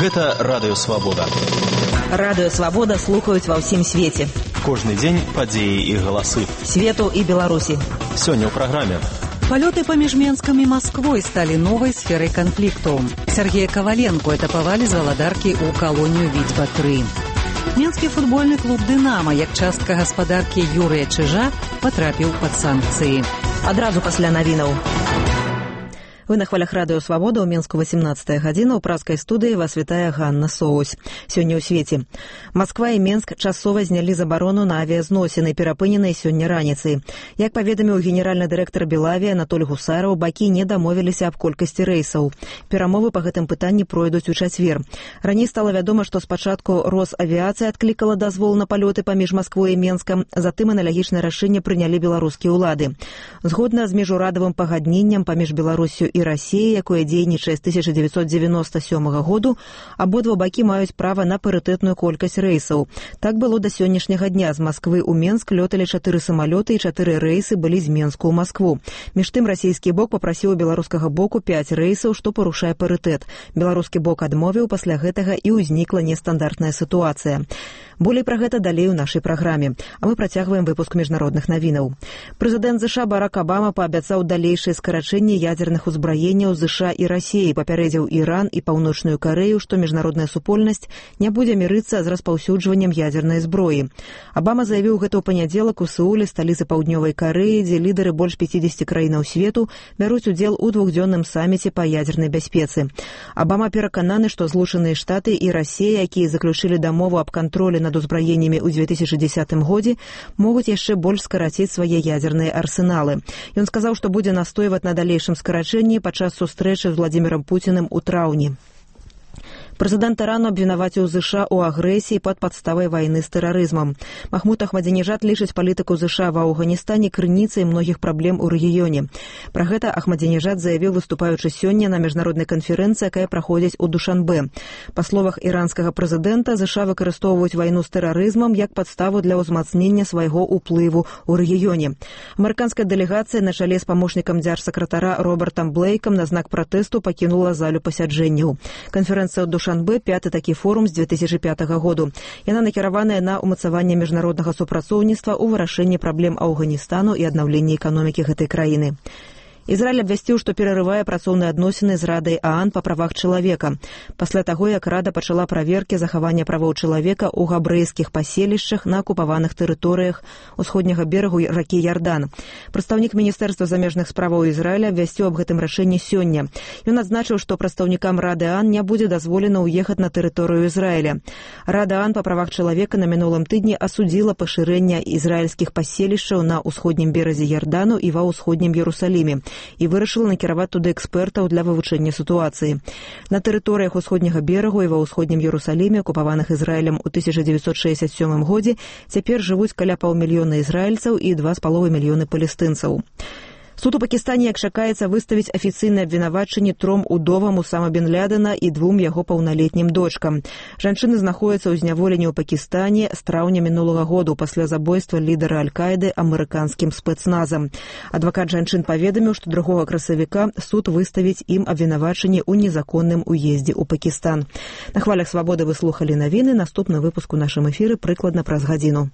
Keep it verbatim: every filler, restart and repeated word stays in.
Гэта Радыё Свабода. Радыё Свабода слухаюць ва ўсім свеце. Кожны дзень падзеі і галасы. Свету і Беларусі. Сёння ў праграме. Палёты паміж Менскам і Масквой сталі новай сферай канфлікту. Сергея Коваленко этапавалі з валадаркі ў калонію Віцьба тры. Менскі футбольны клуб «Дынама», як частка гаспадаркі Юрыя Чыжа, патрапіў пад санкцыі. Адразу пасля навінаў. Вы на хвалях Радыё Свабода, у Менску восемнадцатая гадзіна, у празкай студыі вас вітае Ганна Соусь. Сёння ў свеце. Масква і Менск часова знялі забарону на авіязносіны, перапыненыя сёння раніцай. Як паведаміў генеральны дырэктар Белавіі Анатоль Гусараў, бакі не дамовіліся аб колькасці рэйсаў. Перамовы па гэтым пытанні пройдуць у чацвер. Раней стала вядома, што спачатку Росавіяцыя адклікала дазвол на палёты паміж Масквой і Менскам, затым аналагічнае рашэнне прынялі беларускія ўлады. Згодна з міжурадавым пагадненнем паміж Беларусю і Расіі, якое дзейнічае з тысяча дзевяцьсот дзевяноста сёмага году, абодва бакі маюць права на парытэтную колькасць рэйсаў. Так было да сённяшняга дня. З Масквы ў Менск лёталі чатыры самалёты і чатыры рэйсы былі з Менску ў Маскву. Між тым расійскі бок папрасіў у беларускага боку пяць рэйсаў, што парушае парытэт. Беларускі бок адмовіў, пасля гэтага і ўзнікла нестандартная сітуацыя. Болей пра гэта далей у нашай праграме. А мы працягваем выпуск міжнародных навінаў. Прэзідэнт ЗША Барак Абама паабяцаў далейшае скарачэнне ядзерных узбраенняў ЗША і Расіі, папярэдзіў Іран і Паўночную Карэю, што міжнародная супольнасць не будзе мірыцца з распаўсюджваннем ядзернай зброі. Абама заявіў гэта ў панядзелак у Сеуле, сталіцы Паўднёвай Карэі, дзе лідары больш пяцідзесяці краінаў свету бяруць удзел у двухдзённым саміце па ядзернай бяспецы. Абама перакананы, што Злучаныя Штаты і Расія, якія заключылі дамову аб кантролі над узбраеннямі ў дзве тысячы дзесятым годзе, могуць яшчэ больш скараціць свае ядзерныя арсеналы. Ён сказаў, што будзе настойваць на далейшым скарачэнні падчас сустрэчы з Владзімірам Пуціным у траўні. Прэзідэнт Ірану абвінаваціў ЗША ў агрэсіі пад падставай вайны з тэрарызмам. Махмуд Ахмадзінежад лічыць палітыку ЗША ва Афганістане крыніцай многіх праблем у рэгіёне. Пра гэта Ахмадзінежад заявіў, выступаючы сёння на міжнароднай канферэнцыі, якая праходзіць у Душанбе. Па словах іранскага прэзідэнта, ЗША выкарыстоўваюць вайну з тэрарызмам як падставу для ўзмацнення свайго ўплыву ў рэгіёне. Амерыканская дэлегацыя на чале з памочнікам дзяржсакратара Робертам Блейкам на знак пратэсту пакінула залю пасяджэнняў. Канферэнцыя ў Душанбе – пяты такі форум з дзве тысячы пятага году. Яна накіраваная на ўмацаванне міжнароднага супрацоўніцтва ў вырашэнні праблем Афганістану і аднаўленні эканомікі гэтай краіны. Ізраіль абвясціў, што перарывае працоўныя адносіны з Радай ААН па правах чалавека. Пасля таго, як Рада пачала праверкі захавання правоў чалавека ў габрэйскіх паселішчах на акупаваных тэрыторыях усходняга берагу ракі Ярдан. Прадстаўнік Міністэрства замежных справаў Ізраіля абвясціў аб гэтым рашэнні сёння. Ён адзначыў, што прадстаўнікам Рады ААН не будзе дазволена ўехаць на тэрыторыю Ізраіля. Рада ААН па правах чалавека на мінулым тыдні асудзіла пашырэнне ізраільскіх паселішчаў на ўсходнім беразе Ярдану і ва ўсходнім Ерусаліме і вырашыла накіраваць туды экспертаў для вывучэння сітуацыі. На тэрыторыях усходняга берагу і ва ўсходнім Ерусаліме, акупаваных Ізраілем у тысяча дзевяцьсот шэсцьдзясят сёмым годзе, цяпер жывуць каля паўмільёна ізраільцаў і два з паловай мільёны палестынцаў. Суд у Пакістане, як чакаецца, выставіць афіцыйнае абвінавачанне тром удовам Усама бен Лядена і двум яго паўналетнім дочкам. Жанчыны знаходзяцца ў зняволенні ў Пакістане з траўня мінулага году пасля забойства лідара Аль-Каіды амерыканскім спецназам. Адвакат жанчын паведаміў, што другога красавіка суд выставіць ім абвінавачанне ў незаконным уездзе ў Пакістан. На хвалях Свабоды вы слухалі навіны. Наступны выпуск у нашым эфіры прыкладна праз гадзіну.